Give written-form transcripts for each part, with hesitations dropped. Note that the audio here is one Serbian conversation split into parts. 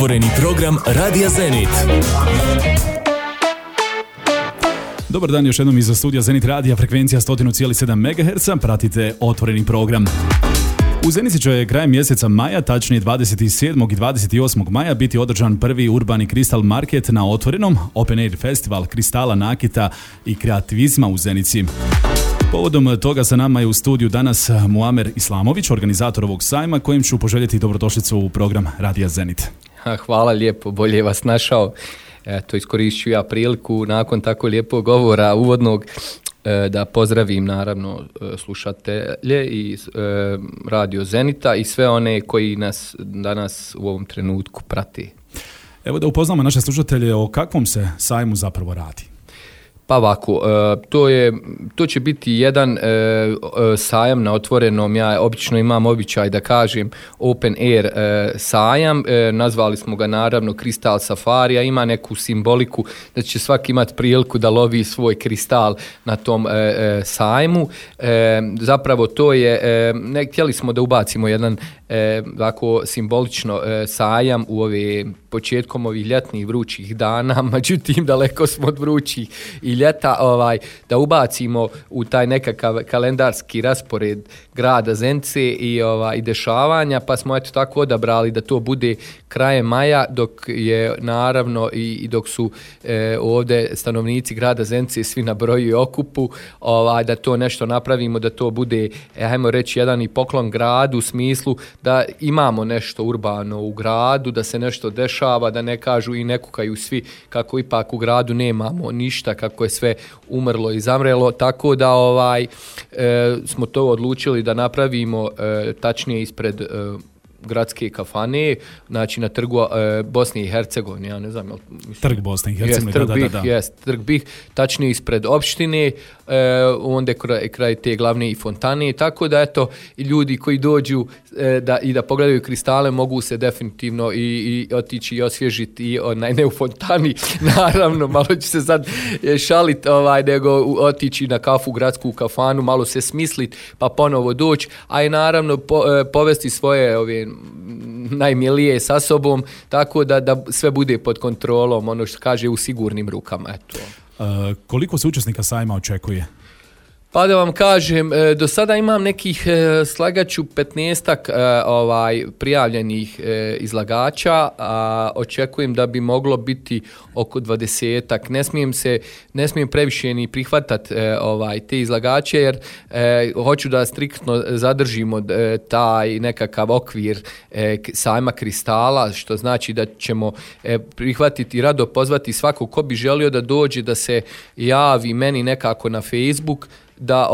Otvoreni program Radija Zenit. Dobar dan još jednom iz studija Zenit Radija, frekvencija 100,7 MHz, pratite Otvoreni program. U Zenici će krajem mjeseca maja, tačnije 27. i 28. maja, biti održan prvi urbani kristal market na otvorenom, Open Air Festival kristala, nakita i kreativizma u Zenici. Povodom toga sa nama je u studiju danas Muamer Islamović, organizator ovog sajma, kojim ću poželjeti dobrodošlicu u program Radija Zenit. Hvala lijepo, bolje vas našao. Eto, iskoristit ću ja priliku nakon tako lijepog govora uvodnog da pozdravim naravno slušatelje i Radio Zenita i sve one koji nas danas u ovom trenutku prati. Evo da upoznamo naše slušatelje o kakvom se sajmu zapravo radi. Pa ovako, to će biti jedan sajam na otvorenom. Ja obično imam običaj da kažem Open Air sajam, nazvali smo ga naravno Kristal Safarija, ima neku simboliku da će svaki imati priliku da lovi svoj kristal na tom sajmu. Zapravo to je, htjeli smo da ubacimo jedan ovako simbolično sajam u početkom ovih ljetnih vrućih dana, međutim daleko smo od vrućih i ljeta, da ubacimo u taj nekakav kalendarski raspored grada Zenice i dešavanja, pa smo eto tako odabrali da to bude krajem maja, dok je naravno i dok su ovdje stanovnici grada Zenice svi na broju i okupu, da to nešto napravimo, da to bude, hajmo reći, jedan i poklon gradu u smislu da imamo nešto urbano u gradu, da se nešto dešava, da ne kažu i ne kukaju svi kako ipak u gradu nemamo ništa, kako je sve umrlo i zamrelo, tako da smo to odlučili da napravimo tačnije ispred gradske kafane, znači na trgu Bosne i Hercegovine, ja ne znam. Trg Bosne i Hercegovine, Trg BiH, tačnije ispred opštine, onda kraj te glavne i fontane, tako da eto, i ljudi koji dođu da pogledaju kristale mogu se definitivno i otići i osvježiti i ne u fontani, naravno, malo ću se sad šaliti, nego otići na kafu, gradsku kafanu, malo se smisliti, pa ponovo doći, a i naravno povesti svoje najmilije sa sobom, tako da sve bude pod kontrolom, ono što kaže, u sigurnim rukama. Eto. Koliko se učesnika sajma očekuje? Pa da vam kažem, do sada imam nekih slagaću 15-ak prijavljenih izlagača, a očekujem da bi moglo biti oko 20-ak. Ne smijem previše ni prihvatati te izlagače, jer hoću da striktno zadržimo taj nekakav okvir sajma kristala, što znači da ćemo prihvatiti i rado pozvati svakog ko bi želio da dođe, da se javi meni nekako na Facebook, da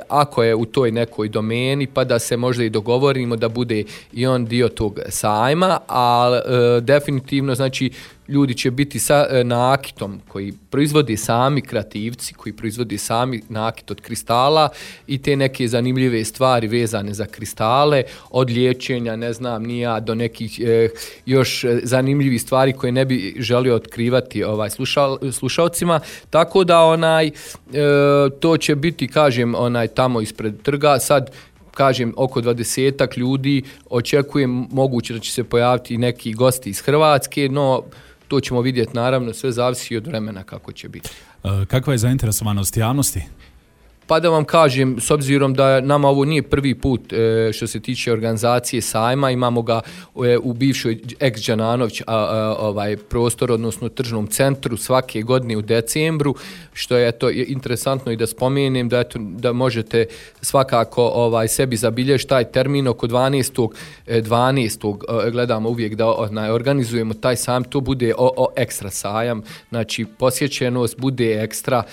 ako je u toj nekoj domeni, pa da se možda i dogovorimo da bude i on dio tog sajma, ali definitivno znači ljudi će biti sa nakitom koji proizvodi sami kreativci, koji proizvodi sami nakit od kristala i te neke zanimljive stvari vezane za kristale, od liječenja, ne znam ni ja, do nekih još zanimljivih stvari koje ne bi želio otkrivati slušalcima, tako da to će biti, kažem, tamo ispred trga. Sad kažem, oko 20-ak ljudi, očekujem moguće da će se pojaviti i neki gosti iz Hrvatske, no to ćemo vidjeti, naravno, sve zavisi od vremena kako će biti. Kakva je zainteresovanost javnosti? Pa da vam kažem, s obzirom da nama ovo nije prvi put što se tiče organizacije sajma, imamo ga u bivšoj ex-Đananović prostor, odnosno tržnom centru svake godine u decembru, što je to interesantno i da spomenem, da možete svakako sebi zabilježiti taj termin oko 12. Gledamo uvijek da organizujemo taj sajam, to bude ekstra sajam, znači posjećenost bude ekstra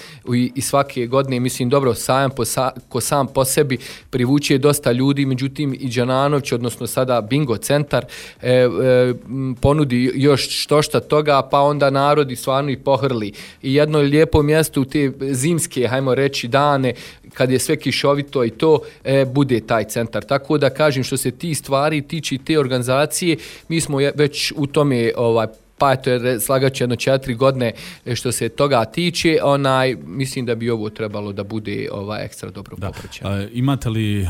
i svake godine, mislim, dobro, sajam ko sam po sebi privuče dosta ljudi, međutim i Đananović, odnosno sada Bingo centar, ponudi još što toga, pa onda narodi stvarno i pohrli. I jedno lijepo mjesto u te zimske, hajmo reći, dane, kad je sve kišovito i to, bude taj centar. Tako da kažem, što se ti stvari tiče te organizacije, mi smo već u tome pa eto slagat će jedno 4 godine što se toga tiče, mislim da bi ovo trebalo da bude ekstra dobro popraćeno. Imate li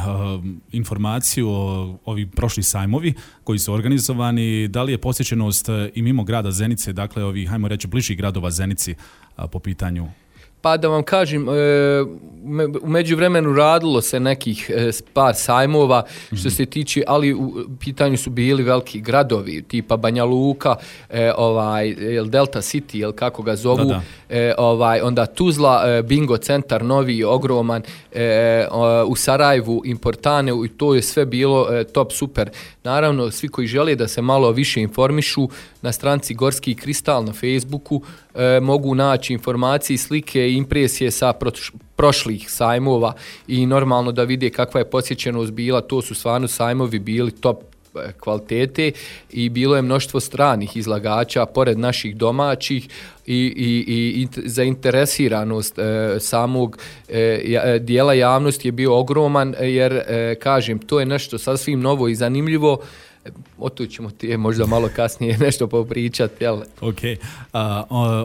informaciju o ovih prošli sajmovi koji su organizovani, da li je posjećenost i mimo grada Zenice, dakle ovih, hajmo reći, bližih gradova Zenici po pitanju? Pa da vam kažem, u međuvremenu radilo se nekih par sajmova što se tiče, ali u pitanju su bili veliki gradovi, tipa Banja Luka, Delta City, kako ga zovu, onda Tuzla, Bingo centar novi, ogroman, u Sarajevu, Importane, i to je sve bilo top super. Naravno, svi koji žele da se malo više informišu, na stranci Gorski kristal na Facebooku mogu naći informacije, slike i impresije sa prošlih sajmova i normalno da vide kakva je posjećenost bila. To su stvarno sajmovi bili top kvalitete i bilo je mnoštvo stranih izlagača pored naših domaćih i zainteresiranost samog dijela javnosti je bio ogroman, jer kažem, to je nešto sasvim novo i zanimljivo. O to ćemo ti možda malo kasnije nešto popričati. Jel? Ok.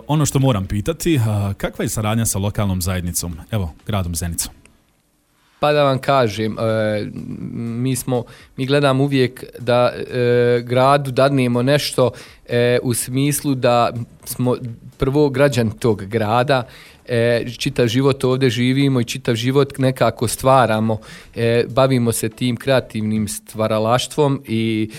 Ono što moram pitati, kakva je saradnja sa lokalnom zajednicom, evo, gradom Zenicom? Pa da vam kažem, mi gledamo uvijek da gradu dadnemo nešto u smislu da smo prvo građani tog grada, čitav život ovdje živimo i čitav život nekako stvaramo, bavimo se tim kreativnim stvaralaštvom i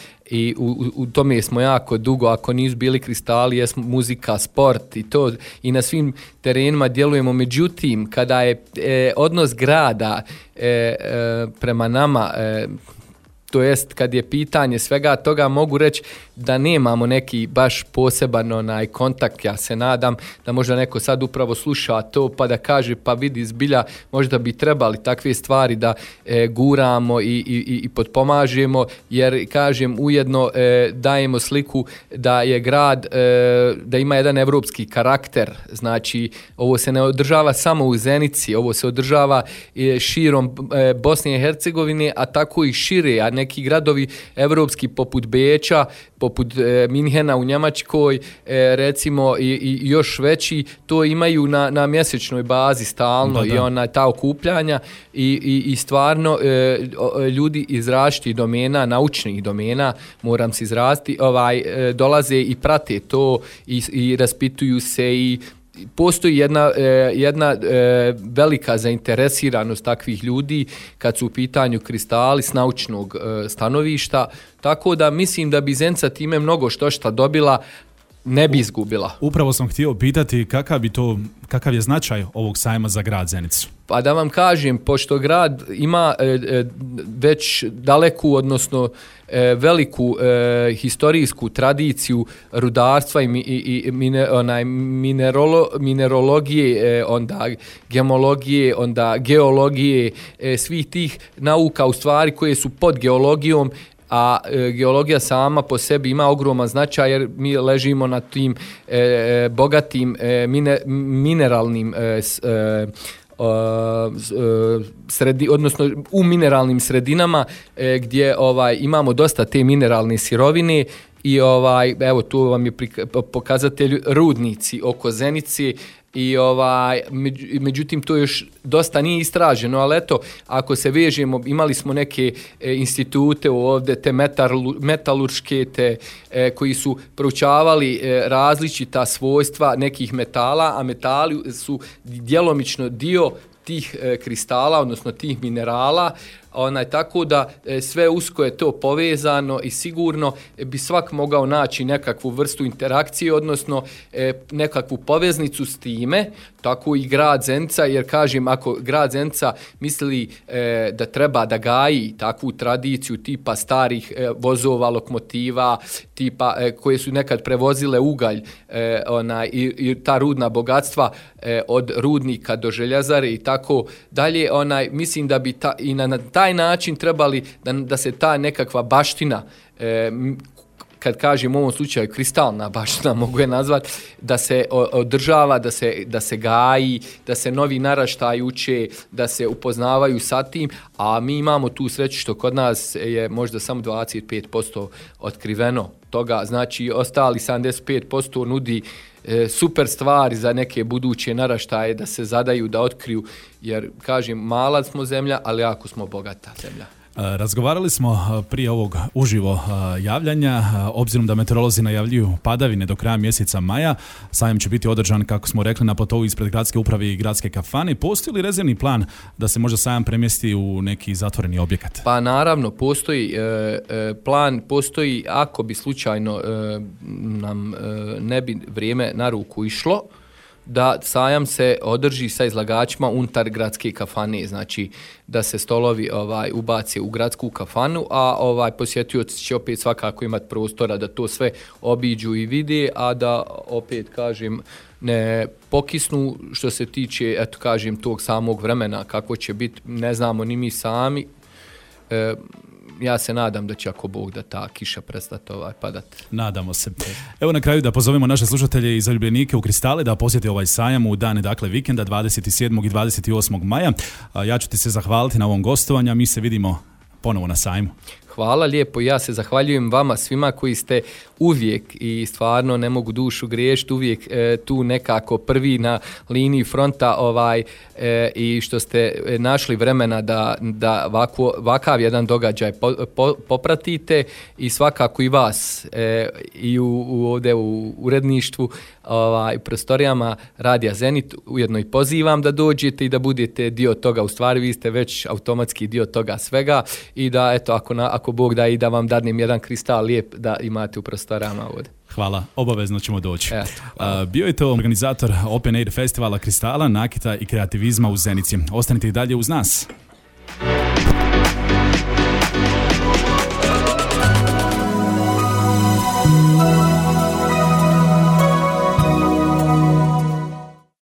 u tome smo jako dugo, ako nisu bili kristali, jesmo muzika, sport i to, i na svim terenima djelujemo. Međutim, kada je odnos grada prema nama, to jest kad je pitanje svega toga, mogu reći da nemamo neki baš poseban kontakt. Ja se nadam da možda neko sad upravo sluša to pa da kaže pa vidi zbilja možda bi trebali takve stvari da guramo i potpomažemo, jer kažem ujedno dajemo sliku da je grad, da ima jedan evropski karakter. Znači ovo se ne održava samo u Zenici, ovo se održava širom Bosne i Hercegovine, a tako i šire, a neki gradovi evropski poput Beča, poput Minhena u Njemačkoj, recimo i još veći, to imaju na mjesečnoj bazi stalno. Da. I ta okupljanja i stvarno ljudi iz različitih domena, naučnih domena, moram se izraziti, dolaze i prate to i raspituju se i postoji jedna velika zainteresiranost takvih ljudi kad su u pitanju kristali s naučnog stanovišta, tako da mislim da bi Zenica time mnogo što dobila, ne bi izgubila. Upravo sam htio pitati kakav je značaj ovog sajma za grad Zenicu. Pa da vam kažem, pošto grad ima već daleku, odnosno veliku historijsku tradiciju rudarstva i minerologije, onda gemologije, onda geologije, svih tih nauka u stvari koje su pod geologijom, a geologija sama po sebi ima ogroman značaj jer mi ležimo na tim bogatim mineralnim odnosno u mineralnim sredinama gdje imamo dosta te mineralne sirovine i evo tu vam je pokazatelj rudnici oko Zenice i međutim to još dosta nije istraženo, ali eto ako se vežemo, imali smo neke institute ovdje, te metalurške, koji su proučavali različita svojstva nekih metala, a metali su djelomično dio tih kristala, odnosno tih minerala, tako da sve usko je to povezano i sigurno bi svak mogao naći nekakvu vrstu interakcije, odnosno nekakvu poveznicu s time, tako i grad Zenica, jer kažem, ako grad Zenica misli da treba da gaji takvu tradiciju tipa starih vozova, lokomotiva, tipa koje su nekad prevozile ugalj i ta rudna bogatstva od rudnika do željezare i tako dalje, mislim da bi i na taj način trebali da se ta nekakva baština kad kažem u ovom slučaju kristalna baština, mogu je nazvati, da se održava, da se gaji, da se novi naraštaj uče, da se upoznavaju sa tim, a mi imamo tu sreću što kod nas je možda samo 25% otkriveno toga, znači ostali 75% nudi super stvari za neke buduće naraštaje da se zadaju, da otkriju, jer kažem, mala smo zemlja, ali jako smo bogata zemlja. Razgovarali smo prije ovog uživo javljanja, obzirom da meteorolozi najavljuju padavine do kraja mjeseca maja. Sajam će biti održan, kako smo rekli, na platovu ispred gradske uprave i gradske kafane. Postoji li rezervni plan da se možda sajam premjesti u neki zatvoreni objekat? Pa naravno, postoji plan, postoji ako bi slučajno nam ne bi vrijeme na ruku išlo, da sajam se održi sa izlagačima unutar gradske kafane, znači da se stolovi ubace u gradsku kafanu, a posjetioci će opet svakako imati prostora da to sve obiđu i vide, a da opet kažem ne pokisnu što se tiče, eto kažem, tog samog vremena kako će biti, ne znamo ni mi sami. Ja se nadam da će, ako Bog, da ta kiša prestati padati. Nadamo se. Evo na kraju da pozovemo naše slušatelje i zaljubljenike u Kristale da posjete ovaj sajam u dane, dakle, vikenda 27. i 28. maja. Ja ću ti se zahvaliti na ovom gostovanju, mi se vidimo ponovo na sajmu. Hvala lijepo, ja se zahvaljujem vama svima koji ste uvijek, i stvarno ne mogu dušu griješiti, uvijek tu nekako prvi na liniji fronta i što ste našli vremena da ovakav jedan događaj popratite, i svakako i vas i ovdje u uredništvu, prostorijama Radija Zenit, ujedno i pozivam da dođete i da budete dio toga. U stvari vi ste već automatski dio toga svega, i da eto, ako Bog da, i da vam dadnem jedan kristal lijep da imate u prostorama ovdje. Hvala, obavezno ćemo doći. Bio je to organizator Open Air festivala Kristala, nakita i kreativizma u Zenici. Ostanite i dalje uz nas.